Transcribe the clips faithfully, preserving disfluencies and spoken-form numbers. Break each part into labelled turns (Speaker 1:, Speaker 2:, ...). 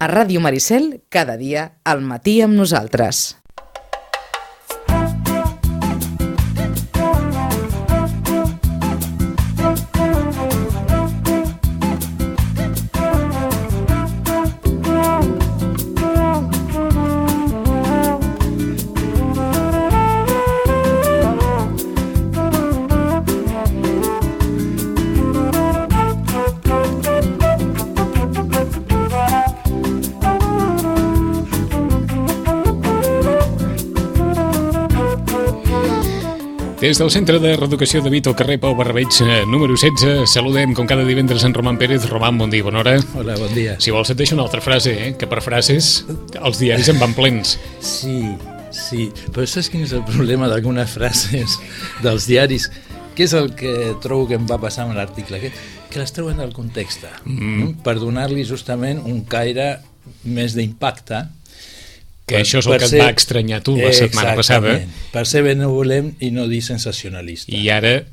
Speaker 1: A Ràdio Maricel, cada dia, al matí amb nosaltres.
Speaker 2: Des del Centre de Reeducació de Vito, carrer Pau Barrabeig, número setze, saludem com cada divendres en Roman Pérez. Roman, bon dia, bona hora.
Speaker 3: Hola, bon dia.
Speaker 2: Si vols et deixo una altra frase, eh? Que per frases els diaris en van plens.
Speaker 3: Sí, sí, però saps quin és el problema d'algunes frases dels diaris? Què és el que trobo que em va passar amb l'article? Que, que les treuen del context, mm. per donar-li justament un caire més d'impacte.
Speaker 2: Que per, això és el que ser, et va estranyar tu la setmana passada.
Speaker 3: Per ser benevolent i no dir sensacionalista.
Speaker 2: I ara,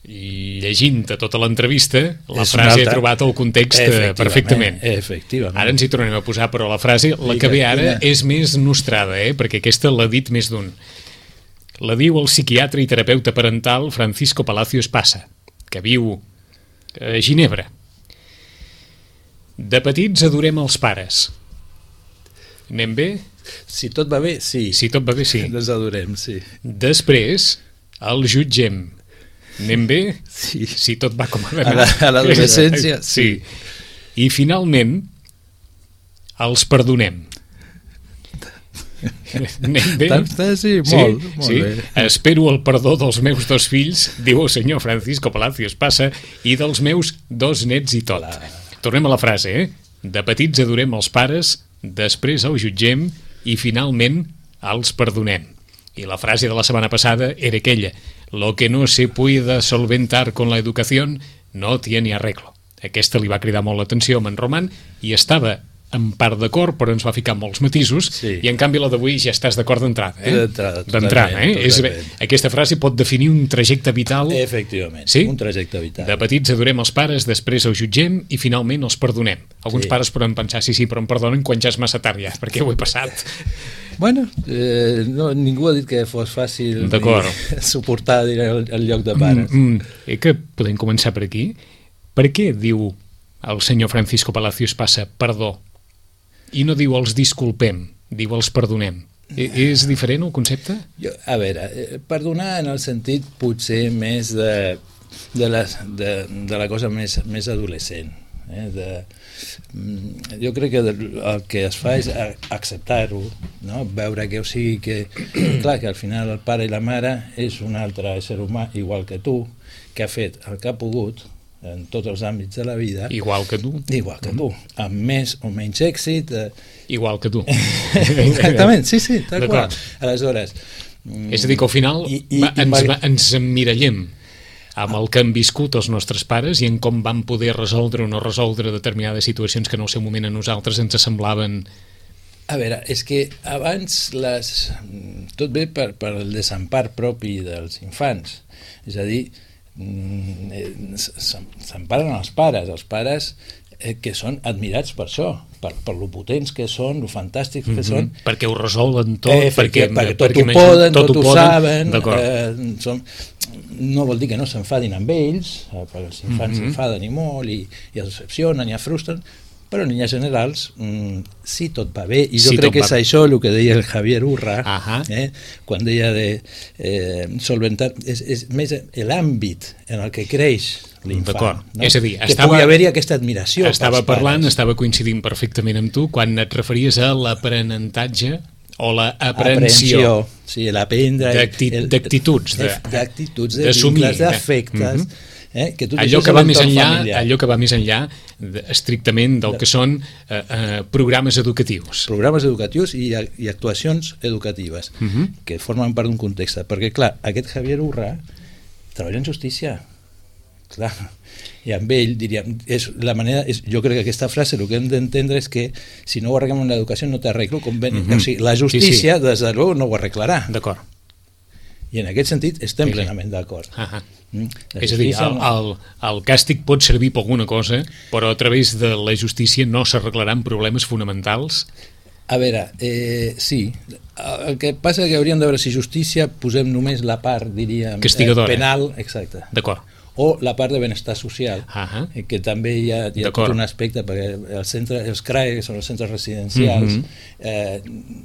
Speaker 2: llegint-te tota l'entrevista, la és frase altra... ha trobat el context efectivament, perfectament.
Speaker 3: Efectivament.
Speaker 2: Ara ens hi tornem a posar, però la frase, la que ve ara, és més nostrada, eh? Perquè aquesta l'ha dit més d'un. La diu el psiquiatre i terapeuta parental Francisco Palacios Passa, que viu a Ginebra. De petits adorem els pares. Anem bé?
Speaker 3: Si tot va bé, sí.
Speaker 2: Si tot va bé, sí.
Speaker 3: Les adorem, sí.
Speaker 2: Després, el jutgem. Anem bé?
Speaker 3: Sí.
Speaker 2: Si tot va com ha d'anar.
Speaker 3: A l'adolescència, sí.
Speaker 2: sí. I finalment, els perdonem. Anem bé?
Speaker 3: Sí, molt,
Speaker 2: sí,
Speaker 3: molt
Speaker 2: sí.
Speaker 3: bé.
Speaker 2: Espero el perdó dels meus dos fills, diu el senyor Francisco Palacios Passa, i dels meus dos nets i tot. La... Tornem a la frase, eh? De petits adorem els pares, després els jutgem i finalment els perdonem. I la frase de la setmana passada era aquella: lo que no se puede solventar con la educación no tiene arreglo. Aquesta li va cridar molt l'atenció a en Roman i estava en part d'acord, però ens va ficar molts matisos, sí. I en canvi la d'avui ja estàs d'acord d'entrada, eh?
Speaker 3: D'entrada,
Speaker 2: d'entrada, eh? És, aquesta frase pot definir un trajecte vital.
Speaker 3: Efectivament,
Speaker 2: sí?
Speaker 3: Un trajecte vital.
Speaker 2: De petits adorem els pares, després els jutgem i finalment els perdonem. Alguns sí. Pares poden pensar, sí, sí, però em perdonen quan ja és massa tard ja, perquè ho he passat.
Speaker 3: Bueno, eh, no, ningú ha dit que fos fàcil suportar el, el lloc de pares.
Speaker 2: Mm, mm. Eh, que podem començar per aquí. Per què diu el senyor Francisco Palacios Passa perdó? I no diu els disculpem, diu els perdonem. I, és diferent el concepte?
Speaker 3: Jo, a veure, perdonar en el sentit potser més de, de, la, de, de la cosa més, més adolescent. Eh? De, jo crec que el que es fa és acceptar-ho, no? Veure que, o sigui, que, clar, que al final el pare i la mare és un altre ésser humà igual que tu, que ha fet el que ha pogut en tots els àmbits de la vida.
Speaker 2: Igual que tu.
Speaker 3: Igual que tu, amb més o menys èxit. Eh...
Speaker 2: Igual que tu.
Speaker 3: Exactament, sí, sí, tal qual. Aleshores...
Speaker 2: És a dir, que al final i, i, va, ens, va, ens emmirallem amb el que han viscut els nostres pares i en com van poder resoldre o no resoldre determinades situacions que en el seu moment a nosaltres ens semblaven...
Speaker 3: A veure, és que abans les... tot ve per, per el desempar propi dels infants. És a dir, s'emparen els pares, els pares eh, que són admirats per això, per, per lo potents que són, lo fantàstics que mm-hmm. són.
Speaker 2: Perquè ho resolen tot,
Speaker 3: eh,
Speaker 2: perquè,
Speaker 3: perquè tot perquè ho poden, tot, tot ho poden, saben, eh, són, no vol dir que no s'enfadin amb ells, eh, perquè els infants mm-hmm. s'enfaden i molt, i, i es decepcionen, i es frustren, però en línies generals mm, sí tot va bé, i jo sí, crec que és bé. Això el que deia el Javier Urra, eh, quan deia de eh, solventar, és, és més l'àmbit en el que creix l'infant, no?
Speaker 2: És a dir,
Speaker 3: que estava, pugui haver-hi aquesta admiració.
Speaker 2: Estava parlant, estava coincidint perfectament amb tu quan et referies a l'aprenentatge o l'aprensió,
Speaker 3: sí, l'aprendre
Speaker 2: d'actituds,
Speaker 3: d'actituds, de vincles, d'afectes. Eh, que
Speaker 2: allò, que va més enllà, allò que va més enllà de, estrictament del que són eh, eh, programes educatius.
Speaker 3: Programes educatius i, i actuacions educatives uh-huh. que formen part d'un context. Perquè, clar, aquest Javier Urra treballa en justícia. Clar, i amb ell diríem, és la manera, és, jo crec que aquesta frase el que hem d'entendre és que si no ho arreglem en l'educació no t'arreglo, com ben, uh-huh. o sigui, la justícia sí, sí. des de l'u no ho arreglarà.
Speaker 2: D'acord.
Speaker 3: I en aquest sentit estem
Speaker 2: sí, sí.
Speaker 3: plenament d'acord.
Speaker 2: Ah, mm? És a dir, el, el, el càstig pot servir per alguna cosa, però a través de la justícia no s'arreglaran problemes fonamentals.
Speaker 3: A veure, eh, sí, el que passa és que hauríem de veure si justícia posem només la part, diríem,
Speaker 2: castigadora.
Speaker 3: Eh, penal, exacte.
Speaker 2: D'acord.
Speaker 3: O la part de benestar social,
Speaker 2: uh-huh.
Speaker 3: eh, que també hi ha, hi ha tot un aspecte, perquè el centre, els C R A E, que són els centres residencials, uh-huh. eh,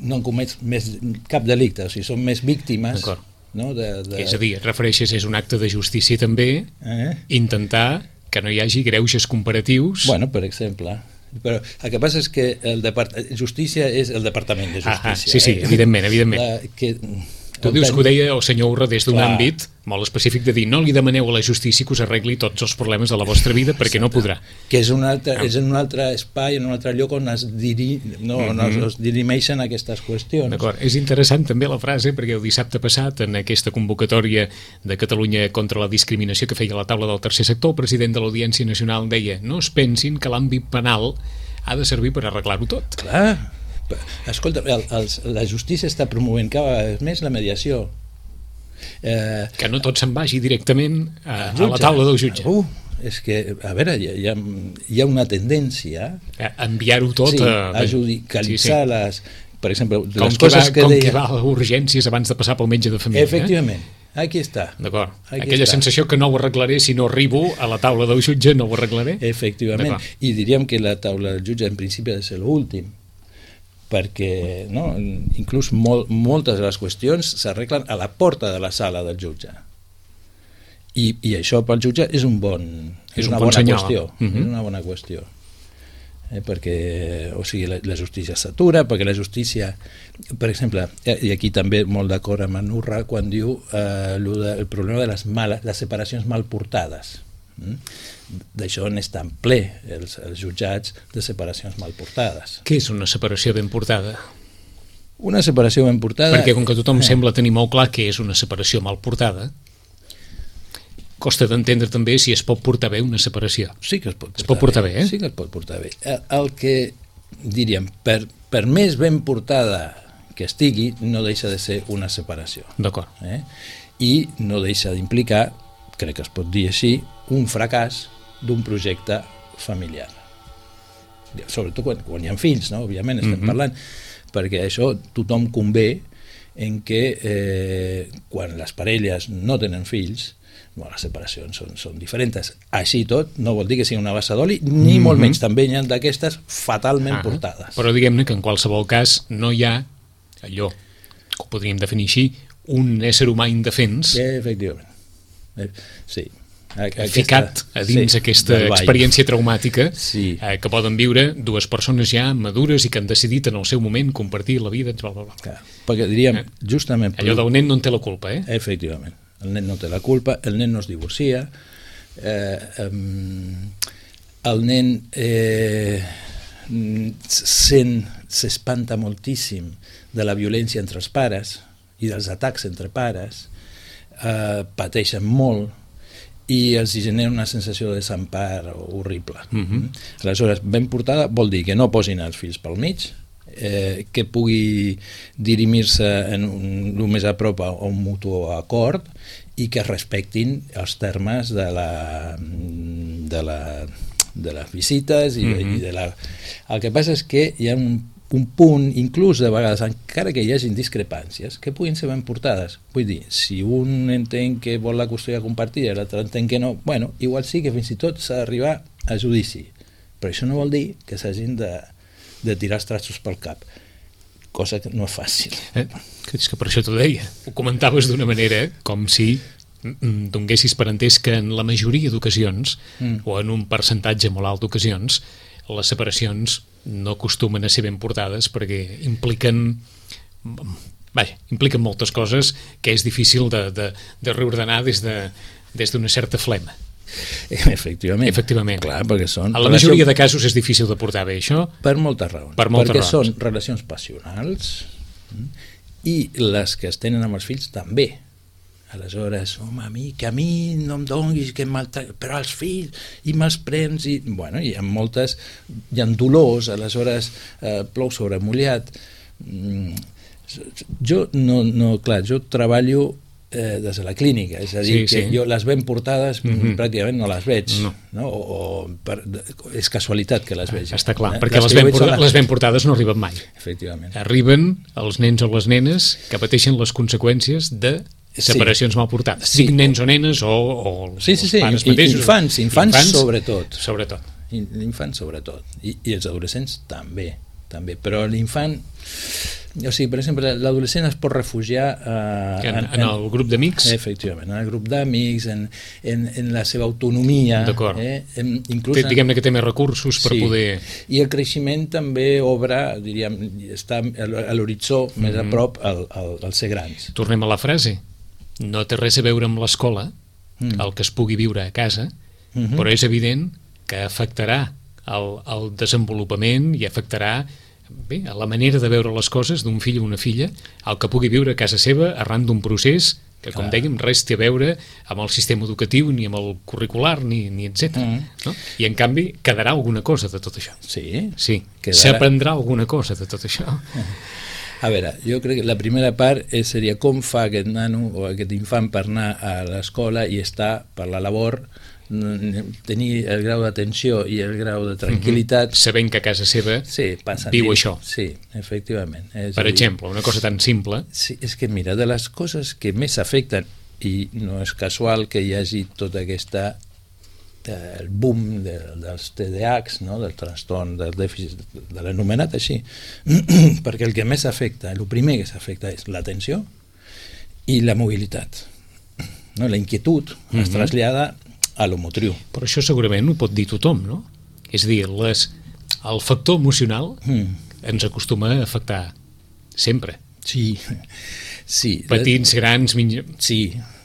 Speaker 3: no han comès més cap delicte, o sigui, són més víctimes. No, de, de...
Speaker 2: És a dir, et refereixes, és un acte de justícia també, eh? intentar que no hi hagi greuges comparatius.
Speaker 3: Bueno, per exemple... Però el que passa és que el depart... justícia és el Departament de Justícia.
Speaker 2: Ah, sí, sí, eh? evidentment, evidentment. La, que... Tu
Speaker 3: ten...
Speaker 2: dius que ho deia el senyor Urra des d'un àmbit molt específic de dir no li demaneu a la justícia que us arregli tots els problemes de la vostra vida perquè Exacte. no podrà.
Speaker 3: Que és, un altre, ah. és en un altre espai, en un altre lloc on es, diri... no, mm -hmm. on es dirimeixen aquestes qüestions.
Speaker 2: D'acord, és interessant també la frase perquè el dissabte passat en aquesta convocatòria de Catalunya contra la discriminació que feia la taula del tercer sector, el president de l'Audiència Nacional deia no es pensin que l'àmbit penal ha de servir per arreglar-ho tot.
Speaker 3: Clar. Escolta, el, el, la justícia està promovent cada vegada més la mediació.
Speaker 2: Eh, que no tot se'n vagi directament a, a la taula del jutge.
Speaker 3: Uh, és que, a veure, hi ha, hi ha, hi ha una tendència
Speaker 2: a enviar-ho tot
Speaker 3: sí,
Speaker 2: a...
Speaker 3: a judicialitzar sí, sí. les... Per exemple,
Speaker 2: com
Speaker 3: les coses
Speaker 2: va,
Speaker 3: que
Speaker 2: com
Speaker 3: deia...
Speaker 2: qui va a urgències abans de passar pel metge de família.
Speaker 3: Efectivament. Eh? Aquí està.
Speaker 2: D'acord. Aquella està. sensació que no ho arreglaré si no arribo a la taula del jutge, no ho arreglaré.
Speaker 3: Efectivament. I diríem que la taula del jutge en principi ha de ser l'últim, perquè no, inclús molt, moltes de les qüestions s'arreglen a la porta de la sala del jutge. I, i això pel jutge és un bon és,
Speaker 2: és
Speaker 3: una
Speaker 2: un bon
Speaker 3: bona
Speaker 2: senyal.
Speaker 3: qüestió. Uh-huh. És una bona qüestió. Eh, perquè, o sigui, la, la justícia s'atura, perquè la justícia, per exemple, i aquí també molt d'acord amb en Urra quan diu eh, el problema de les, males, les separacions mal portades. Mm? D'això n'estan ple els, els jutjats de separacions mal portades.
Speaker 2: Què és una separació ben portada?
Speaker 3: Una separació ben portada...
Speaker 2: Perquè com que tothom eh. sembla tenir molt clar què és una separació mal portada, costa d'entendre també si es pot portar bé una separació.
Speaker 3: Sí que es pot portar,
Speaker 2: es pot portar bé. bé, eh?
Speaker 3: Sí que es pot portar bé. El que, diríem, per, per més ben portada que estigui, no deixa de ser una separació.
Speaker 2: D'acord.
Speaker 3: Eh? I no deixa d'implicar, crec que es pot dir així, un fracàs d'un projecte familiar. Sobretot quan, quan hi ha fills, no? Òbviament estem mm-hmm. parlant, perquè això tothom convé en què eh, quan les parelles no tenen fills, bueno, les separacions són, són diferents. Així tot, no vol dir que sigui una bassa d'oli, ni mm-hmm. molt menys, també hi ha d'aquestes fatalment ah, portades.
Speaker 2: Però diguem-ne que en qualsevol cas no hi ha allò, que ho podríem definir així, un ésser humà indefens.
Speaker 3: Eh, efectivament. Eh, sí.
Speaker 2: Aquesta, ficat a dins sí, aquesta experiència traumàtica
Speaker 3: sí.
Speaker 2: eh, que poden viure dues persones ja madures i que han decidit en el seu moment compartir la vida, bla, bla, bla.
Speaker 3: Clar, perquè diríem eh? justament...
Speaker 2: Allò del nen no en té la culpa, eh?
Speaker 3: Efectivament, el nen no té la culpa, el nen no es divorcia, eh, um, el nen eh, sent, s'espanta moltíssim de la violència entre els pares i dels atacs entre pares, eh, pateixen molt i els genera una sensació de desempar horrible. Uh-huh. Aleshores, ben portada vol dir que no posin els fills pel mig, eh, que pugui dirimir-se en un, el més a prop a un mutu acord i que respectin els termes de la de, la, de les visites i, uh-huh. i de la... El que passa és que hi ha un un punt, inclús de vegades, encara que hi hagi discrepàncies, que puguin ser ben portades. Vull dir, si un entén que vol la custòdia compartida i l'altre entén que no, bueno, igual sí que fins i tot s'ha d'arribar a judici. Però això no vol dir que s'hagin de, de tirar els trastos pel cap, cosa que no és fàcil.
Speaker 2: Eh, és que per això t'ho deia. Ho comentaves d'una manera com si donguessis per entès que en la majoria d'ocasions, mm. o en un percentatge molt alt d'ocasions, les separacions no acostumen a ser ben portades perquè impliquen vaja, impliquen moltes coses que és difícil de, de, de reordenar des de, des d'una certa flema.
Speaker 3: Efectivament.
Speaker 2: Efectivament.
Speaker 3: Clar, perquè són...
Speaker 2: En la relació... majoria de casos és difícil de portar bé això.
Speaker 3: Per moltes raons.
Speaker 2: Per moltes
Speaker 3: perquè
Speaker 2: raons.
Speaker 3: Són relacions passionals i les que es tenen amb els fills també. Aleshores, home, a mi, que a mi no em donguis, que maltra... però els fills, i me'ls prens, i... Bueno, hi ha moltes... Hi ha dolors, aleshores eh, plou sobre mullat. Mm, jo, no, no, clar, jo treballo eh, des de la clínica, és a dir,
Speaker 2: sí,
Speaker 3: que
Speaker 2: sí.
Speaker 3: jo les ben portades mm-hmm. pràcticament no les veig,
Speaker 2: no.
Speaker 3: No? O, o per, és casualitat que les veig.
Speaker 2: Està clar,
Speaker 3: eh?
Speaker 2: perquè les, les, ben portades, les... les ben portades no arriben mai.
Speaker 3: Efectivament.
Speaker 2: Arriben els nens o les nenes que pateixen les conseqüències de separacions sí. mal portades. Sí. Siguin nens o nenes o, o
Speaker 3: sí, sí, sí.
Speaker 2: els pares
Speaker 3: I,
Speaker 2: mateixos.
Speaker 3: Infants, infants, infants sobretot.
Speaker 2: Sobretot.
Speaker 3: L'infant sobretot. I, I els adolescents també, també. Però l'infant... O sigui, per exemple, l'adolescent es pot refugiar eh,
Speaker 2: en, en, en el grup d'amics?
Speaker 3: Efectivament, en el grup d'amics, en, en, en la seva autonomia.
Speaker 2: D'acord.
Speaker 3: Eh, inclús
Speaker 2: té, diguem-ne que té més recursos per
Speaker 3: sí.
Speaker 2: poder...
Speaker 3: I el creixement també obre, diríem, està a l'horitzó mm-hmm. més a prop al, al, al ser grans.
Speaker 2: Tornem a la frase. No té res a veure amb l'escola, mm. el que es pugui viure a casa, mm-hmm. però és evident que afectarà el, el desenvolupament i afectarà bé, a la manera de veure les coses d'un fill o una filla, el que pugui viure a casa seva arran d'un procés que, com Clar. dèiem, res té a veure amb el sistema educatiu, ni amb el curricular, ni, ni etcètera. Mm. No? I, en canvi, quedarà alguna cosa de tot això.
Speaker 3: Sí.
Speaker 2: Sí. S'aprendrà alguna cosa de tot això.
Speaker 3: A veure, jo crec que la primera part és, seria com fa aquest nano o aquest infant per anar a l'escola i estar per la labor, tenir el grau d'atenció i el grau de tranquil·litat.
Speaker 2: Mm-hmm. Sabent que a casa seva
Speaker 3: sí,
Speaker 2: viu
Speaker 3: dir,
Speaker 2: això.
Speaker 3: Sí, efectivament. És
Speaker 2: per exemple, dir, una cosa tan simple.
Speaker 3: Sí, és que mira, de les coses que més afecten, i no és casual que hi hagi tota aquesta el boom de, dels T D A Hs, no? Del trastorn del dèficit, de l'anomenat així, perquè el que més afecta, el primer que s'afecta és l'atenció i la mobilitat. No? La inquietud mm-hmm. es trasllada a lo motriu.
Speaker 2: Però això segurament ho pot dir tothom, no? És a dir, les, el factor emocional mm. ens acostuma a afectar sempre.
Speaker 3: Sí, sí.
Speaker 2: Petits, grans... Minja...
Speaker 3: Sí,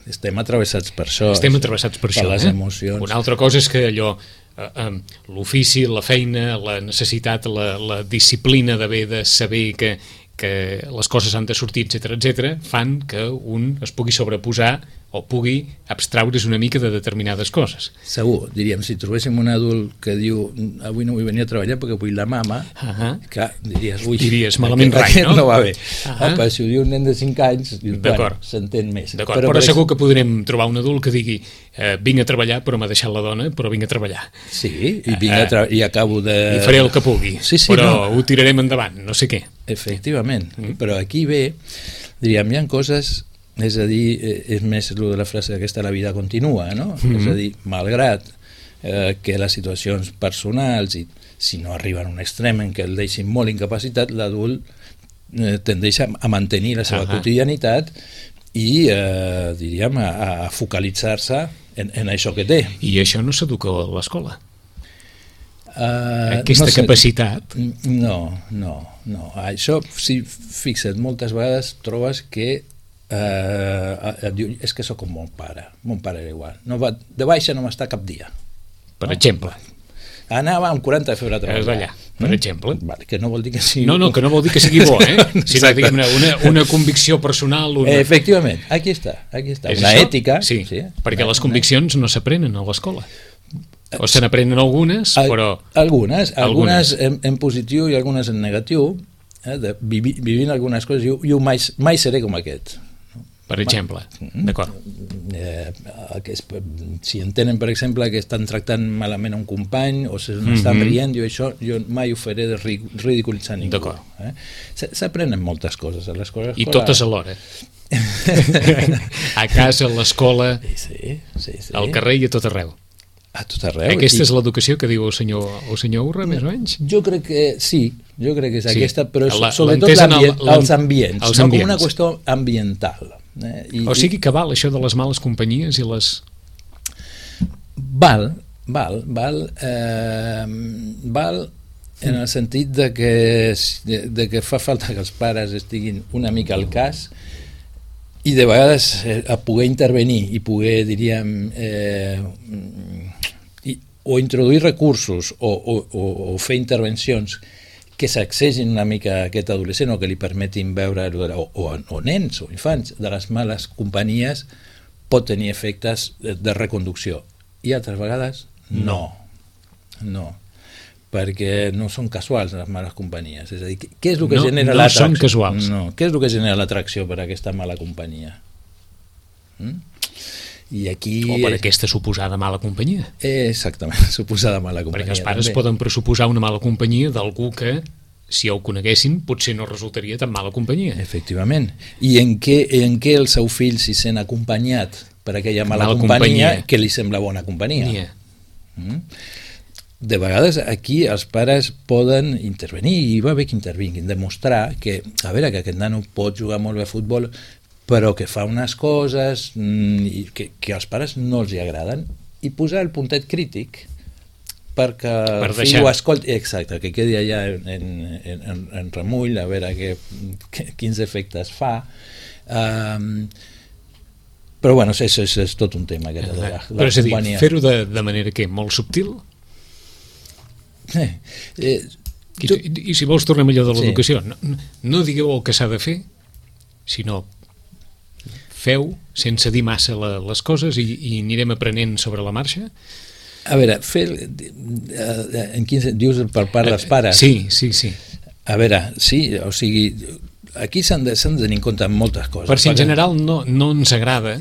Speaker 3: estem atravessats per això.
Speaker 2: Estem atravessats per, per això.
Speaker 3: Per les
Speaker 2: eh?
Speaker 3: emocions.
Speaker 2: Una altra cosa és que allò, eh, eh, l'ofici, la feina, la necessitat, la, la disciplina d'haver de saber que, que les coses han de sortir, etcètera, etcètera, fan que un es pugui sobreposar o pugui abstraure's una mica de determinades coses.
Speaker 3: Segur, diríem, si trobéssim un adult que diu avui no vull venir a treballar perquè vull la mama, uh-huh. clar, diries, ui,
Speaker 2: diries malament rai, no?
Speaker 3: no va bé. Uh-huh. Opa, si ho diu un nen de cinc anys, dius, bueno, s'entén més.
Speaker 2: D'acord, però, però segur que podrem trobar un adult que digui eh, vinc a treballar però m'ha deixat la dona, però vinc a treballar.
Speaker 3: Sí, i, vinc a tra- i acabo de...
Speaker 2: I faré el que pugui,
Speaker 3: sí, sí,
Speaker 2: però
Speaker 3: no.
Speaker 2: ho tirarem endavant, no sé què.
Speaker 3: Efectivament, mm. però aquí ve, diríem, hi ha coses... És a dir, és més el de la frase aquesta, la vida continua, no? Mm-hmm. És a dir, malgrat eh, que les situacions personals, i si no arriben a un extrem en què el deixin molt incapacitat, l'adult eh, tendeix a, a mantenir la seva uh-huh. quotidianitat i, eh, diríem, a, a focalitzar-se en, en això que té.
Speaker 2: I això no s'educa a l'escola?
Speaker 3: Uh,
Speaker 2: Aquesta
Speaker 3: no sé,
Speaker 2: capacitat?
Speaker 3: No, no, no. Això, si fixa't, moltes vegades trobes que Uh, et diu, és que sóc com mon pare, mon pare era igual, no va, de baixa no m'està cap dia,
Speaker 2: per
Speaker 3: no?
Speaker 2: exemple
Speaker 3: anava amb quaranta de febre a treballar,
Speaker 2: allà, per mm? exemple
Speaker 3: vale, que no vol dir que sigui
Speaker 2: no, no, que no vol dir que sigui bo, eh? sinó una, una, una convicció personal una...
Speaker 3: eh, efectivament, aquí està, aquí està. Una
Speaker 2: això?
Speaker 3: ètica
Speaker 2: sí,
Speaker 3: sí,
Speaker 2: perquè
Speaker 3: una,
Speaker 2: les conviccions una... no s'aprenen a l'escola o se n'aprenen algunes, però
Speaker 3: algunes, algunes en, en positiu i algunes en negatiu, eh, de vivi, vivint algunes coses, jo, jo mai, mai seré com aquest,
Speaker 2: per exemple, d'acord.
Speaker 3: Eh, que és, si entenen, per exemple, que estan tractant malament un company o se n'estan mm-hmm. rient, jo això jo mai ho faré de ridiculitzar ningú.
Speaker 2: D'acord.
Speaker 3: Eh? S'aprenen moltes coses a l'escola.
Speaker 2: I totes alhora. A casa, a l'escola,
Speaker 3: sí, sí, sí.
Speaker 2: al carrer i a tot arreu.
Speaker 3: A tot arreu.
Speaker 2: Aquesta
Speaker 3: I...
Speaker 2: és l'educació que diu el senyor, el senyor Urra, més o menys?
Speaker 3: Jo crec que sí, jo crec que és sí. aquesta, però la, sobretot
Speaker 2: el,
Speaker 3: els ambients,
Speaker 2: els
Speaker 3: no
Speaker 2: ambients.
Speaker 3: com una qüestió ambiental. Eh? I,
Speaker 2: o sigui que val això de les males companyies i les...
Speaker 3: Val, val, val, eh, val en el sentit de que, de, de que fa falta que els pares estiguin una mica al cas i de vegades eh, a poder intervenir i poder, diríem, eh, i, o introduir recursos o, o, o, o fer intervencions que s'accessin una mica a aquest adolescent o que li permetin veure, o, o, o nens o infants, de les males companyies pot tenir efectes de, de reconducció. I altres vegades no. No. Perquè no són casuals les males companyies. És a dir, què és el que
Speaker 2: no,
Speaker 3: genera
Speaker 2: no
Speaker 3: l'atracció?
Speaker 2: són casuals.
Speaker 3: No. Què és el que genera l'atracció per a aquesta mala companyia? Mm? I aquí...
Speaker 2: O per aquesta suposada mala companyia.
Speaker 3: Exactament, suposada mala companyia.
Speaker 2: Perquè els pares
Speaker 3: també
Speaker 2: poden pressuposar una mala companyia d'algú que, si ho coneguessin, potser no resultaria tan mala companyia.
Speaker 3: Efectivament. I en què, en què el seu fill s'hi sent acompanyat per aquella mala, mala companyia, companyia que li sembla bona companyia? Yeah. Mm? De vegades aquí els pares poden intervenir, i va bé que intervinguin, demostrar que, a veure, que aquest nano pot jugar molt bé a futbol, però que fa unes coses mm, que, que als pares no els hi agraden, i posar el puntet crític perquè
Speaker 2: per
Speaker 3: el fill
Speaker 2: deixar.
Speaker 3: Ho escolti, exacte, que quedi allà en, en, en, en remull, a veure que, que, quins efectes fa. Um, però bueno, és, és, és tot un tema aquest, la, la
Speaker 2: però és a dir,
Speaker 3: companyia.
Speaker 2: Fer-ho de, de manera que molt subtil?
Speaker 3: Eh, eh,
Speaker 2: I, tu... i, i si vols tornem allò de l'educació, sí. no, no digueu el que s'ha de fer, sinó feu sense dir massa la, les coses i, i anirem aprenent sobre la marxa?
Speaker 3: A veure, fer, en quin sentit dius per part dels pares?
Speaker 2: Sí, sí, sí.
Speaker 3: A veure, sí, o sigui, aquí s'han de, s'han de tenir en compte moltes coses.
Speaker 2: Per si en general no, no ens agrada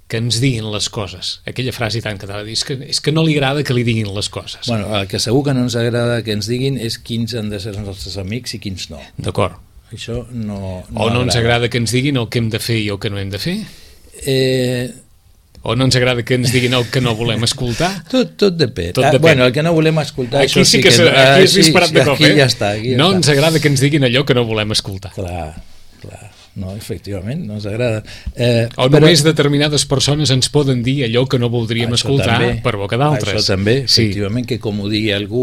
Speaker 2: que ens diguin les coses. Aquella frase tan catalana, és que, és que no li agrada que li diguin les coses.
Speaker 3: Bueno, el que segur que no ens agrada que ens diguin és quins han de ser els nostres amics i quins no.
Speaker 2: D'acord.
Speaker 3: Això no, no
Speaker 2: o no ens agrada que ens diguin el que hem de fer i el que no hem de fer?
Speaker 3: Eh...
Speaker 2: O no ens agrada que ens diguin el que no volem escoltar?
Speaker 3: Tot, tot depèn.
Speaker 2: Tot
Speaker 3: ah,
Speaker 2: depèn.
Speaker 3: Bueno, el que no volem escoltar...
Speaker 2: Aquí sí que, que aquí és
Speaker 3: sí,
Speaker 2: disparat de cop,
Speaker 3: aquí
Speaker 2: eh?
Speaker 3: Ja està, aquí ja
Speaker 2: no
Speaker 3: està.
Speaker 2: Ens agrada que ens diguin allò que no volem escoltar.
Speaker 3: Clar, clar. No, efectivament, no ens agrada. Eh,
Speaker 2: o
Speaker 3: però...
Speaker 2: només determinades persones ens poden dir allò que no voldríem
Speaker 3: això
Speaker 2: escoltar
Speaker 3: també,
Speaker 2: per boca d'altres.
Speaker 3: Això també, efectivament, sí. Que com ho digui algú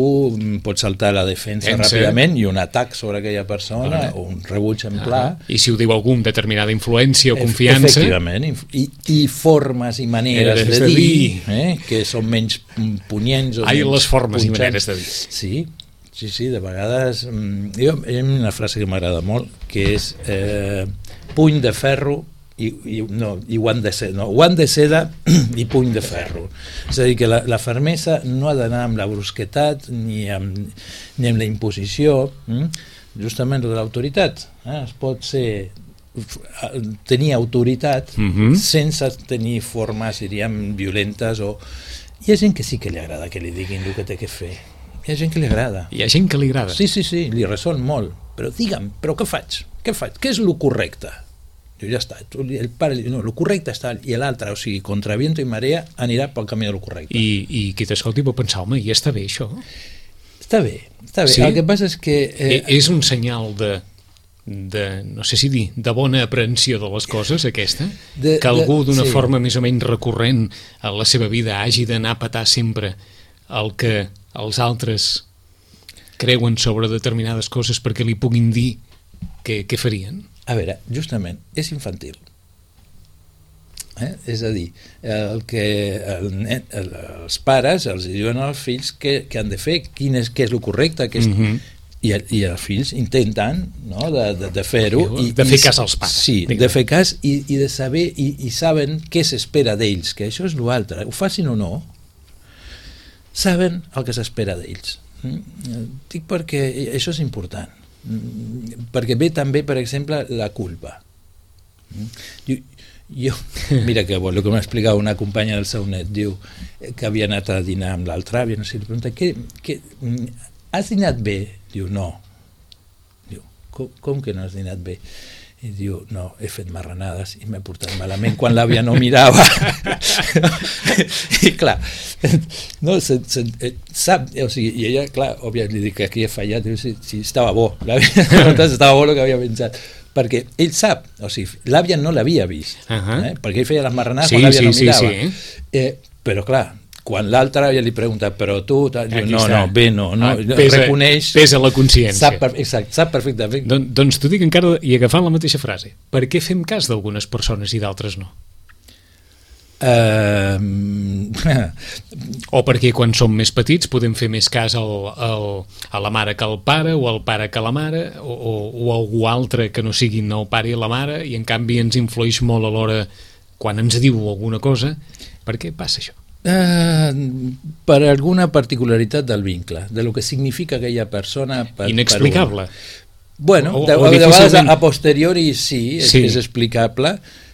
Speaker 3: pot saltar a la defensa Pense. ràpidament i un atac sobre aquella persona ah, o un rebuig en pla.
Speaker 2: Ah, I si ho diu algú amb determinada influència o confiança...
Speaker 3: Efectivament, i, i formes i maneres de, de dir, dir eh, que són menys punyents o
Speaker 2: Ai,
Speaker 3: menys
Speaker 2: les formes
Speaker 3: punxants.
Speaker 2: I maneres de dir.
Speaker 3: Sí, sí, sí, de vegades... Jo, hi ha una frase que m'agrada molt, que és... Eh, puny de ferro i, i, no, i guant de seda, no, guant de seda i puny de ferro. És a dir, que la, la fermesa no ha d'anar amb la brusquetat ni amb, ni amb la imposició, hm? Justament de l'autoritat. Eh? Es pot ser tenir autoritat
Speaker 2: mm-hmm.
Speaker 3: sense tenir formes, diríem, violentes o... Hi ha gent que sí que li agrada que li diguin el que té que fer. Hi ha gent que li agrada.
Speaker 2: Hi ha gent que li agrada.
Speaker 3: Sí, sí, sí, li ressol molt. Però digue'm, però què faig? Què faig? Què és el correcte? Diu, ja està. El pare diu, no, el correcte està... I l'altre, o sigui, contra viento i marea, anirà pel camí del correcte.
Speaker 2: I, i qui t'escolti pot pensar, home, i està bé això?
Speaker 3: Està bé, està bé.
Speaker 2: Sí?
Speaker 3: El que passa és que...
Speaker 2: Eh... És un senyal de... de, no sé si dir, de bona aprehensió de les coses, aquesta? De, que algú d'una sí. forma més o menys recurrent a la seva vida hagi d'anar a petar sempre el que els altres creuen sobre determinades coses perquè li puguin dir què, què farien?
Speaker 3: A veure, justament, és infantil. Eh? És a dir, el que el net, el, els pares els diuen als fills què, què han de fer, quin és, què és el correcte, què és... Mm-hmm. I, i els fills intenten, no, de, de, de fer-ho.
Speaker 2: I, de fer cas als pares.
Speaker 3: Sí, de fer cas i, i de saber, i, i saben què s'espera d'ells, que això és l'altre. Ho facin o no, saben el que s'espera d'ells. Dic perquè això és important. Perquè ve també, per exemple, la culpa. Jo, jo mira que bo, el que m'ha explicat una companya del seu net, diu que havia anat a dinar amb l'altre àvia, no sé, li pregunta, què, què, has dinat bé? Diu, no. Diu, com, com que no has dinat bé? I diu, no, he fet marranades i m'he portat malament quan l'àvia no mirava. I clar, no, se, se, sap, o sigui, i ella, clar, òbviament li dic que aquí he fallat, diu, si, si estava bo, l'àvia, estava bo el que havia pensat, perquè ell sap, o sigui, l'àvia no l'havia vist, uh-huh. eh? Perquè ell feia les marranades
Speaker 2: sí,
Speaker 3: quan l'àvia
Speaker 2: sí,
Speaker 3: no mirava.
Speaker 2: Sí, sí.
Speaker 3: Eh, però clar, quan l'altre ja li pregunta, però tu, diu, no, no, bé, no, no,
Speaker 2: ah, pesa,
Speaker 3: reconeix...
Speaker 2: Pesa la consciència.
Speaker 3: Sap, exacte, sap perfectament.
Speaker 2: Don, doncs t'ho dic encara, i agafant la mateixa frase, per què fem cas d'algunes persones i d'altres no?
Speaker 3: Uh...
Speaker 2: o perquè quan som més petits podem fer més cas al, al, a la mare que al pare, o al pare que a la mare, o, o, o algú altre que no siguin el pare i la mare, i en canvi ens influeix molt a l'hora quan ens diu alguna cosa. Per què passa això?
Speaker 3: Uh, per alguna particularitat del vincle, de lo que significa aquella persona per,
Speaker 2: inexplicable
Speaker 3: per bueno,
Speaker 2: o,
Speaker 3: de,
Speaker 2: o
Speaker 3: de vegades a,
Speaker 2: difícilment...
Speaker 3: a posteriori sí, és,
Speaker 2: sí.
Speaker 3: és explicable,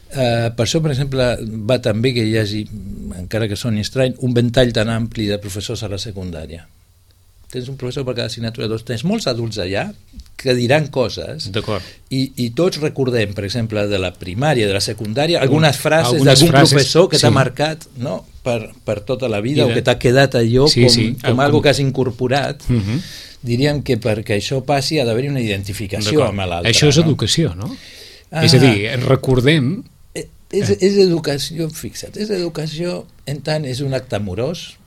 Speaker 3: Uh, per això, per exemple, va també que hi hagi, encara que soni estrany, un ventall tan ampli de professors a la secundària. Tens un professor per cada assignatura, doncs tens molts adults allà que diran coses i, i tots recordem, per exemple, de la primària, de la secundària, algunes frases algunes d'algun frases, professor que sí. t'ha marcat, no? per, per tota la vida de... o que t'ha quedat allò sí, com, sí. com el, algo que has incorporat. Uh -huh. Diríem que perquè això passi ha d'haver-hi una identificació amb l'altre.
Speaker 2: Això és
Speaker 3: no?
Speaker 2: educació, no? Ah. És a dir, recordem...
Speaker 3: És, és educació, fixa't, és educació en tant és un acte amorós,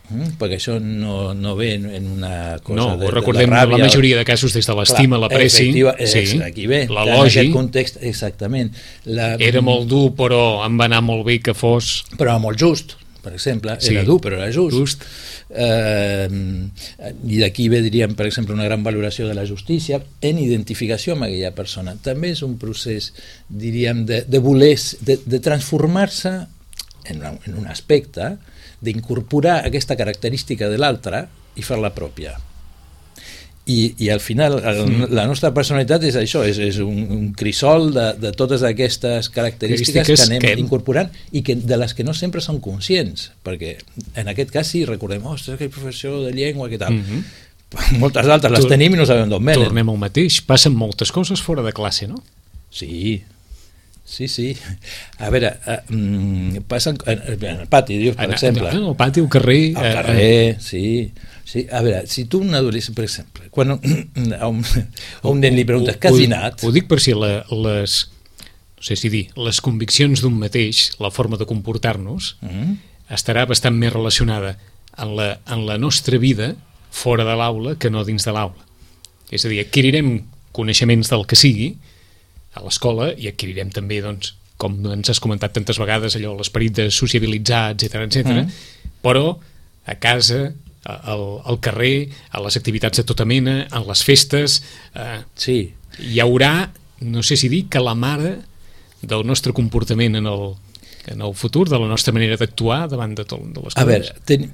Speaker 3: mm, perquè això no, no ve en una cosa
Speaker 2: no,
Speaker 3: de,
Speaker 2: recordem
Speaker 3: de la ràbia.
Speaker 2: La majoria de casos des de l'estima, l'apreci,
Speaker 3: sí, aquí ve,
Speaker 2: l'elogi.
Speaker 3: En aquest context, exactament. La,
Speaker 2: era molt dur, però em va anar molt bé que fos...
Speaker 3: Però molt just, per exemple, sí. era dur, però era just.
Speaker 2: just.
Speaker 3: Eh, I d'aquí ve, diríem, per exemple, una gran valoració de la justícia en identificació amb aquella persona. També és un procés, diríem, de, de voler, de, de transformar-se en, en un aspecte, d'incorporar aquesta característica de l'altre i fer-la pròpia. I, i al final el, la nostra personalitat és això, és, és un, un crisol de, de totes aquestes característiques que anem que... incorporant i que, de les que no sempre som conscients, perquè en aquest cas sí recordem, ostres, aquell professor de llengua, què tal, mm-hmm. moltes altres les tenim i no sabem d'on venen.
Speaker 2: Tornem al mateix, passen moltes coses fora de classe, no?
Speaker 3: Sí, sí, sí. A veure, uh, passen en el pati, dius, per en, exemple.
Speaker 2: En el pati, al carrer...
Speaker 3: Al carrer, uh, sí. Sí, a veure, si tu un adolescent, per exemple, quan a un, a un nen li preguntes què has dinat...
Speaker 2: Ho dic per si la, les, no sé si dir, les conviccions d'un mateix, la forma de comportar-nos, mm-hmm. estarà bastant més relacionada en la, en la nostra vida fora de l'aula que no dins de l'aula. És a dir, adquirirem coneixements del que sigui a l'escola i adquirirem també, doncs, com ens has comentat tantes vegades, allò, l'esperit de sociabilitzar, etcètera, etcètera, mm. però a casa... Al, al carrer, a les activitats de tota mena, en les festes, eh,
Speaker 3: sí.
Speaker 2: hi haurà, no sé si dir, que la mare del nostre comportament en el, en el futur, de la nostra manera d'actuar davant de, tot, de les coses.
Speaker 3: A veure, ten,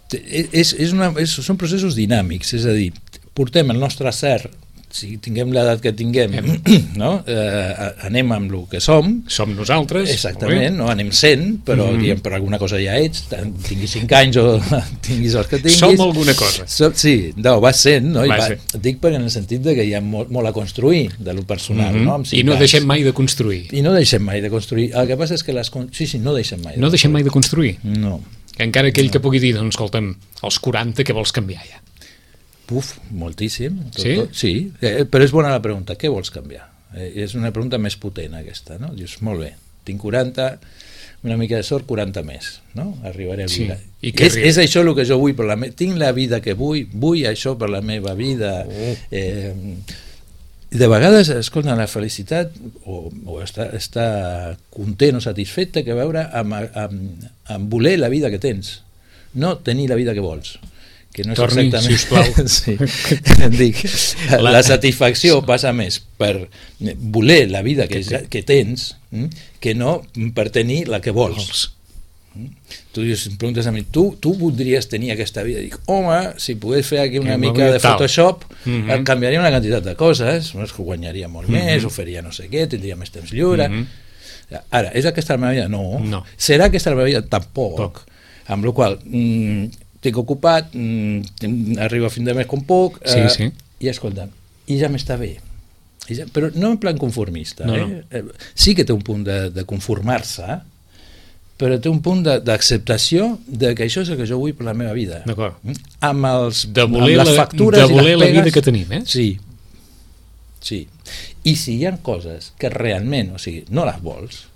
Speaker 3: ten, és, és una, és, són processos dinàmics, és a dir, portem el nostre cert, si tinguem l'edat que tinguem, no? eh, anem amb el que som.
Speaker 2: Som nosaltres.
Speaker 3: Exactament, no? Anem sent, però mm. diem, per alguna cosa ja ets, tinguis cinc anys o tinguis els que tinguis.
Speaker 2: Som alguna cosa.
Speaker 3: Som, sí, no, vas sent, no? Va I va, ser. Dic per en el sentit de que hi ha molt, molt a construir de lo personal, mm -hmm. no?
Speaker 2: I no anys. deixem mai de construir.
Speaker 3: I no deixem mai de construir. El que passa és que les... Sí, sí, no deixem mai de
Speaker 2: No deixem mai de construir?
Speaker 3: No.
Speaker 2: Encara aquell no. que pugui dir, doncs, escolta'm, als quaranta què vols canviar ja?
Speaker 3: Uf, moltíssim. Tot,
Speaker 2: sí?
Speaker 3: Tot, sí, eh, però és bona la pregunta, què vols canviar? Eh, és una pregunta més potent aquesta, no? Dius, molt bé, tinc quaranta, una mica de sort, quaranta més, no? Arribaré a vida. Sí. I és, és això el que jo vull per la meva... Tinc la vida que vull, vull això per la meva vida. Oh. Eh, de vegades, escolta, la felicitat o, o estar, estar content o satisfet té que veure amb, amb, amb voler la vida que tens, no tenir la vida que vols. Que no és
Speaker 2: Torni,
Speaker 3: exactament...
Speaker 2: sisplau.
Speaker 3: Sí. Dic, la... la satisfacció passa més per voler la vida que, que, que tens que no per tenir la que vols. vols. Tu dius, em preguntes a mi, tu, tu voldries tenir aquesta vida? Dic, home, si pogués fer aquí una que mica de Photoshop, mm -hmm. canviaria una quantitat de coses, no? És que guanyaria molt mm -hmm. més, ho faria no sé què, tindria més temps lliure. Mm -hmm. Ara, és aquesta la meva vida? No.
Speaker 2: no.
Speaker 3: Serà aquesta la meva vida? Tampoc. Poc. Amb la qual cosa... Mm, estic ocupat, mm, arribo a fin de mes com puc,
Speaker 2: sí,
Speaker 3: eh,
Speaker 2: sí.
Speaker 3: i escolta, i ja m'està bé. I ja, però no en plan conformista.
Speaker 2: No,
Speaker 3: eh?
Speaker 2: no.
Speaker 3: Eh, sí que té un punt de, de conformar-se, però té un punt d'acceptació de, de que això és el que jo vull per la meva vida.
Speaker 2: D'acord.
Speaker 3: Amb, els,
Speaker 2: de voler
Speaker 3: amb les factures
Speaker 2: la, de voler
Speaker 3: i les pegues,
Speaker 2: la vida que tenim, eh?
Speaker 3: Sí. Sí. I si hi ha coses que realment, o sigui, no les vols,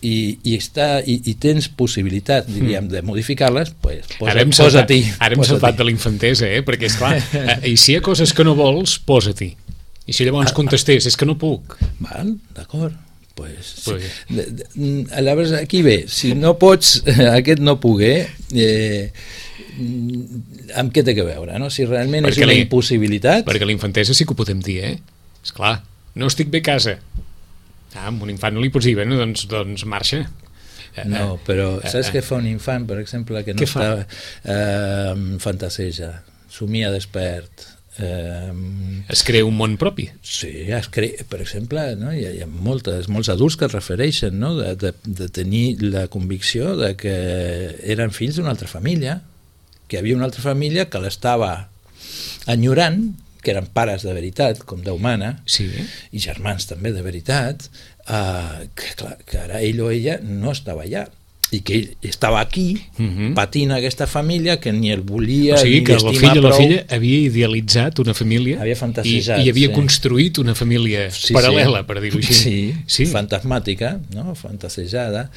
Speaker 3: I, i, està, i, i tens possibilitat, diríem, de modificar-les, pues, posa,
Speaker 2: ara hem
Speaker 3: posa-t'hi.
Speaker 2: Saltat, ara hem saltat de la infantesa, eh? Perquè, esclar, eh, i si hi ha coses que no vols, posa-t'hi. I si llavors contestés, és que no puc.
Speaker 3: Val, d'acord. Pues,
Speaker 2: pues...
Speaker 3: Sí. De, de, aleshores, aquí ve, si no pots, aquest no poguer, eh, amb què té que veure, no? Si realment perquè és una impossibilitat...
Speaker 2: Perquè la infantesa sí que ho podem dir, eh? Esclar, no estic bé a casa. Ah, amb un infant no li pots dir, bueno, doncs, doncs marxa.
Speaker 3: No, però saps què fa un infant, per exemple, que no està eh, fantaseja, somia despert, Eh,
Speaker 2: es crea un món propi.
Speaker 3: Sí, es crea, per exemple, no? hi, ha, hi ha moltes, molts adults que es refereixen, no? de, de, de tenir la convicció de que eren fills d'una altra família, que hi havia una altra família que l'estava enyorant, que eren pares de veritat, com Déu mana,
Speaker 2: sí.
Speaker 3: i germans també de veritat, eh, que, clar, que ara ell o ella no estava allà, i que ell estava aquí, uh-huh. patint aquesta família que ni el volia,
Speaker 2: o sigui,
Speaker 3: ni
Speaker 2: que el fill o la
Speaker 3: prou.
Speaker 2: filla havia idealitzat una família,
Speaker 3: havia fantasejat,
Speaker 2: i, i havia
Speaker 3: sí.
Speaker 2: construït una família
Speaker 3: sí,
Speaker 2: paral·lela,
Speaker 3: sí.
Speaker 2: per dir-ho així.
Speaker 3: Sí,
Speaker 2: sí,
Speaker 3: fantasmàtica, no? Fantasejada.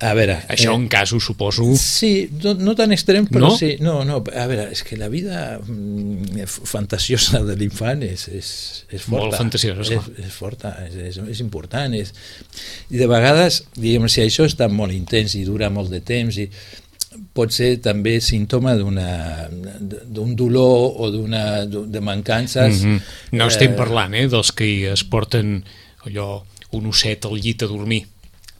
Speaker 3: A veure...
Speaker 2: Això
Speaker 3: eh,
Speaker 2: en casos, suposo...
Speaker 3: Sí, no, no tan extrem, però
Speaker 2: no?
Speaker 3: sí. No, no, a veure, és que la vida mm, fantasiosa de l'infant és, és, és forta.
Speaker 2: Molt fantasiosa, esclar.
Speaker 3: És, és forta, és, és, és important. És... I de vegades, diguem, si això està molt intens i dura molt de temps, i pot ser també símptoma d'una d'un dolor o d'una de mancances.
Speaker 2: Mm-hmm. No estem eh... parlant, eh, dels que es porten allò, un osset al llit a dormir.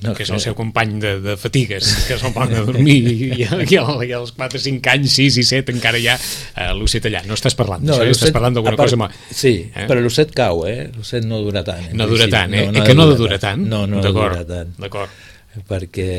Speaker 2: No, que és el seu company de, de fatigues, que se'l posen a dormir i, i, i, i als quatre, cinc anys, sis i set encara hi ha uh, l'osset allà. No estàs parlant d'això, no, estàs parlant d'alguna cosa... Ma...
Speaker 3: Sí, eh? Però l'osset cau, eh? L'osset no dura tant.
Speaker 2: No dura tant, eh?
Speaker 3: No, no
Speaker 2: que no ha de durar tant?
Speaker 3: No, no ha de durar tant.
Speaker 2: D'acord.
Speaker 3: Perquè,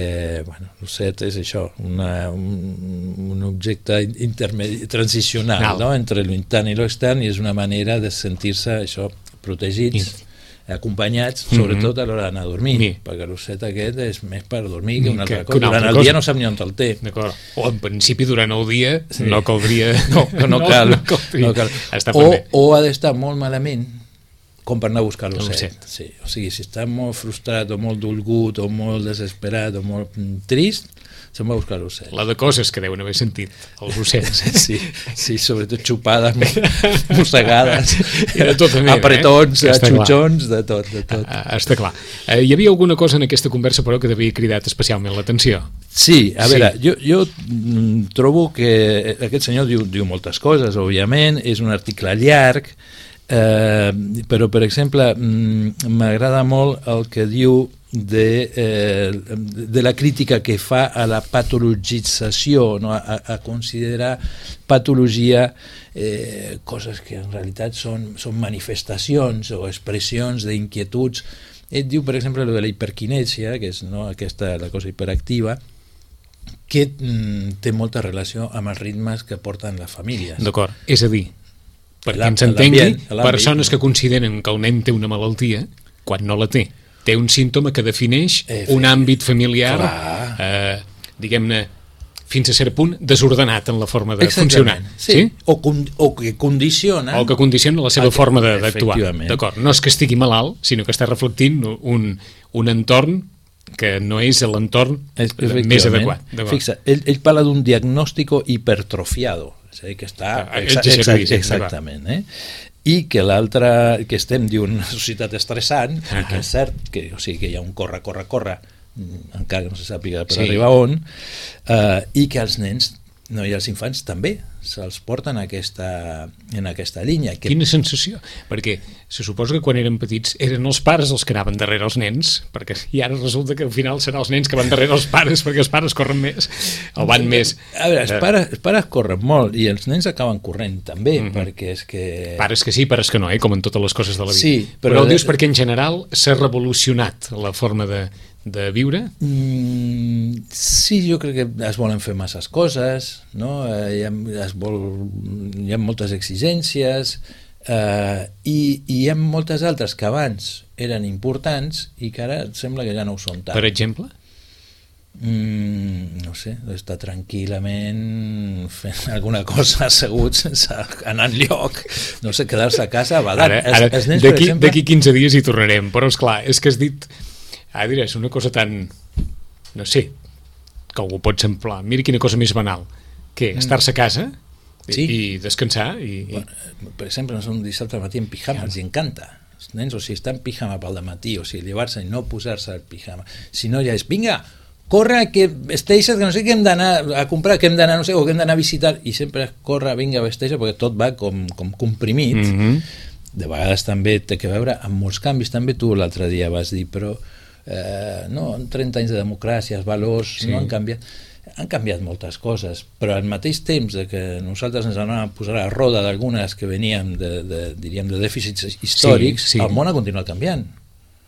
Speaker 3: bueno, l'osset és això, una, un, un objecte intermedi, transicional, no? Entre l'intern i l'extern, i és una manera de sentir-se, això, protegits, I... acompanyats, sobretot a l'hora d'anar a dormir, sí. perquè l'osset aquest és més per dormir que una altra cosa. Durant el dia no sap ni on el té.
Speaker 2: D'acord. O en principi durant el dia sí. no caldria...
Speaker 3: No, no, no cal. No, no cal.
Speaker 2: O,
Speaker 3: o ha d'estar molt malament com per anar a buscar l'osset. Sí. O sigui, si està molt frustrat o molt dolgut o molt desesperat o molt trist, se'n va a buscar l'ocell.
Speaker 2: La de coses que deuen haver sentit els ocells.
Speaker 3: Sí, sí, sobretot xupades, mossegades,
Speaker 2: meva,
Speaker 3: apretons,
Speaker 2: eh?
Speaker 3: xutxons, de tot, de tot.
Speaker 2: Ah, està clar. Eh, hi havia alguna cosa en aquesta conversa, però, que t'havia cridat especialment l'atenció?
Speaker 3: Sí, a
Speaker 2: sí.
Speaker 3: veure, jo, jo trobo que aquest senyor diu, diu moltes coses, òbviament, és un article llarg, eh, però, per exemple, m'agrada molt el que diu de, eh, de la crítica que fa a la patologització, no? a, a considerar patologia eh, coses que en realitat són, són manifestacions o expressions d'inquietuds. Ell diu, per exemple, lo de la hiperquinèsia, que és, no, aquesta la cosa hiperactiva, que mm, té molta relació amb els ritmes que porten les famílies.
Speaker 2: D'acord, és a dir, perquè ens entengui, persones que consideren que el nen té una malaltia quan no la té. Té un símptoma que defineix eh, un àmbit familiar, eh, diguem-ne, fins a cert punt, desordenat en la forma de funcionar.
Speaker 3: Sí. Sí? O, con, o que condiciona...
Speaker 2: O que condiciona la seva forma d'actuar. D'acord, no és que estigui malalt, sinó que està reflectint un, un entorn que no és l'entorn més adequat.
Speaker 3: Fixa, ell, ell parla d'un diagnòstico hipertrofiado, és a dir, que està... Exa exa exactament, eh? I que l'altre, que estem d'una societat estressant, uh -huh. que és cert que, o sigui, que hi ha un corre, corre, corre, encara que no se sàpiga per sí. arribar on, eh, i que els nens, no, i els infants també se'ls porten aquesta, en aquesta línia. Que...
Speaker 2: Quina sensació, perquè se suposa que quan eren petits eren els pares els que anaven darrere els nens, perquè i ara resulta que al final seran els nens que van darrere els pares, perquè els pares corren més o van més.
Speaker 3: A veure, els pares, els pares corren molt i els nens acaben corrent també, uh -huh. perquè és que...
Speaker 2: Pares que sí, pares que no, eh? Com en totes les coses de la vida.
Speaker 3: Sí,
Speaker 2: però, però ho dius perquè en general s'ha revolucionat la forma de de viure?
Speaker 3: Mm, sí, jo crec que es volen fer masses coses, no? Eh, hi, ha, es vol, hi ha moltes exigències eh, i, i hi ha moltes altres que abans eren importants i que ara sembla que ja no ho són tant.
Speaker 2: Per exemple?
Speaker 3: Mm, no sé, estar tranquil·lament fent alguna cosa assegut sense anar enlloc, no sé, quedar-se a casa badant.
Speaker 2: D'aquí quinze dies hi tornarem, però esclar, és que has dit... Ah, diré, és una cosa tan, no sé, que algú pot semblar, mira quina cosa més banal, que estar-se a casa i,
Speaker 3: sí.
Speaker 2: i descansar i,
Speaker 3: bueno, per exemple, no sé, un dissabte al matí en pijama, els encanta els nens, o sigui, estar en pijama pel dematí, o sigui, llevar-se i no posar-se el pijama, si no ja és, vinga, corre, que vesteixes, que no sé què hem d'anar a comprar, que hem d'anar, no sé, o que hem d'anar a visitar, i sempre corre, vinga, vesteixes, perquè tot va com, com comprimit. Mm-hmm. De vegades també té que veure amb molts canvis, també tu l'altre dia vas dir, però Eh, no, trenta anys de democràcia, els valors sí. no han canviat. han canviat moltes coses, però al mateix temps de que nosaltres ens anàvem a posar a la roda d'algunes que veníem de, de, diríem, de dèficits històrics, sí, sí. El món ha continuat canviant.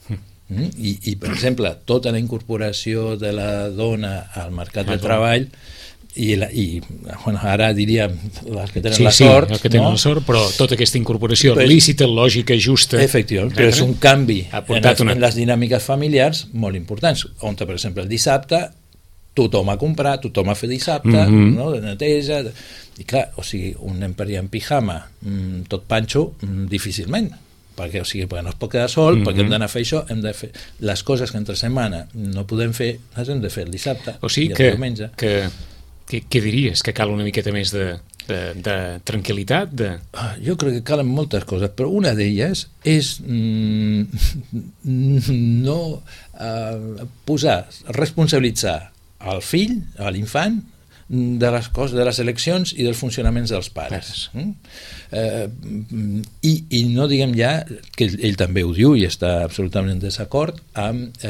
Speaker 3: Mm? I, I, per exemple, tota la incorporació de la dona al mercat de treball i, la, i bueno, ara diríem les que tenen
Speaker 2: sí,
Speaker 3: la sort,
Speaker 2: sí, que tenen
Speaker 3: no?
Speaker 2: la sort, però tota aquesta incorporació
Speaker 3: però,
Speaker 2: lícita, lògica, justa,
Speaker 3: efectivament, però és un canvi en les,
Speaker 2: una...
Speaker 3: en les dinàmiques familiars molt importants, on per exemple el dissabte tothom a comprar, tothom a fer dissabte, mm-hmm. no? De neteja, i clar, o sigui, un nen per allà en pijama, mmm, tot panxo, mmm, difícilment, perquè, o sigui, perquè no es pot quedar sol, mm-hmm. perquè hem d'anar a fer això, hem de fer les coses que entre setmana no podem fer, les hem de fer el dissabte,
Speaker 2: o sigui
Speaker 3: i el
Speaker 2: que,
Speaker 3: diumenge.
Speaker 2: Que, que, què diries? Que cal una miqueta més de, de, de tranquil·litat? De...
Speaker 3: Jo crec que calen moltes coses, però una d'elles és mm, no eh, posar, responsabilitzar al fill, a l'infant, de les coses, de les eleccions i dels funcionaments dels pares. Mm? Eh, i, I no diguem ja, que ell, ell també ho diu i està absolutament en desacord amb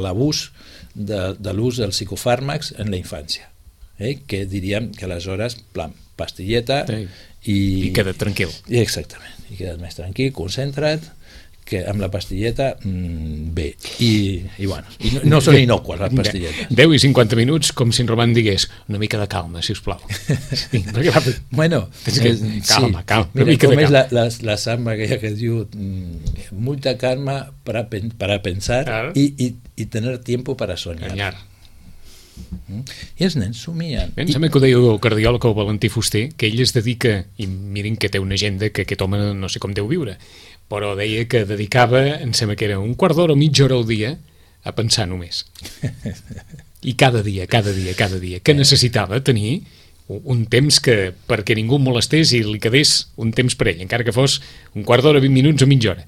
Speaker 3: l'abús de, de l'ús dels psicofàrmacs en la infància, eh? Que diríem que aleshores, plan, pastilleta
Speaker 2: sí.
Speaker 3: i...
Speaker 2: I queda't tranquil.
Speaker 3: I exactament, i queda't més tranquil, concentra't, que amb la pastilleta mmm, bé, i, i bueno, i no, no són inocues les pastilletes.
Speaker 2: deu i cinquanta minuts, com si en Roman digués una mica de calma, sisplau. Sí, perquè, va,
Speaker 3: bueno,
Speaker 2: que, calma,
Speaker 3: sí.
Speaker 2: calma,
Speaker 3: Mira,
Speaker 2: una mica
Speaker 3: com
Speaker 2: de calma.
Speaker 3: és la, la, la samba aquella que es diu mmm, mucha calma para, para pensar
Speaker 2: claro.
Speaker 3: y, y, y tener tiempo para soñar.
Speaker 2: Anyar.
Speaker 3: Mm? I els nens somien.
Speaker 2: Em sembla que ho deia el cardiòleg, el Valentí Fuster, que ell es dedica, i mirin que té una agenda que aquest home no sé com deu viure, però deia que dedicava, em sembla que era un quart d'hora o mitja hora al dia a pensar només. I cada dia, cada dia, cada dia, que necessitava tenir un temps que, perquè ningú el molestés i li quedés un temps per ell, encara que fos un quart d'hora, vint minuts o mitja hora,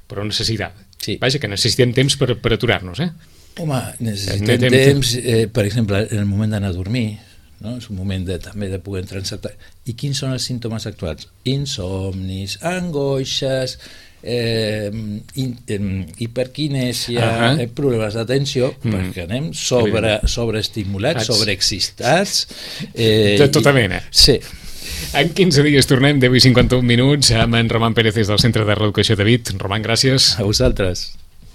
Speaker 2: però necessitava.
Speaker 3: Sí.
Speaker 2: Vaja, que necessitem temps per, per aturar-nos, eh?
Speaker 3: Home, necessitem temps, eh, per exemple, en el moment d'anar a dormir, no? És un moment de, també de poder entrar en certa... I quins són els símptomes actuals? Insomnis, angoixes, eh, in, eh, hiperquinèsia, uh-huh. eh, problemes d'atenció, mm. perquè anem sobre, sobreestimulats, sobreexcitats...
Speaker 2: Eh, de tota mena.
Speaker 3: I, sí.
Speaker 2: En quinze dies tornem, deu i cinquanta-un minuts, amb en Roman Pérez des del Centre de Reeducació de Vic. Roman, gràcies.
Speaker 3: A vosaltres.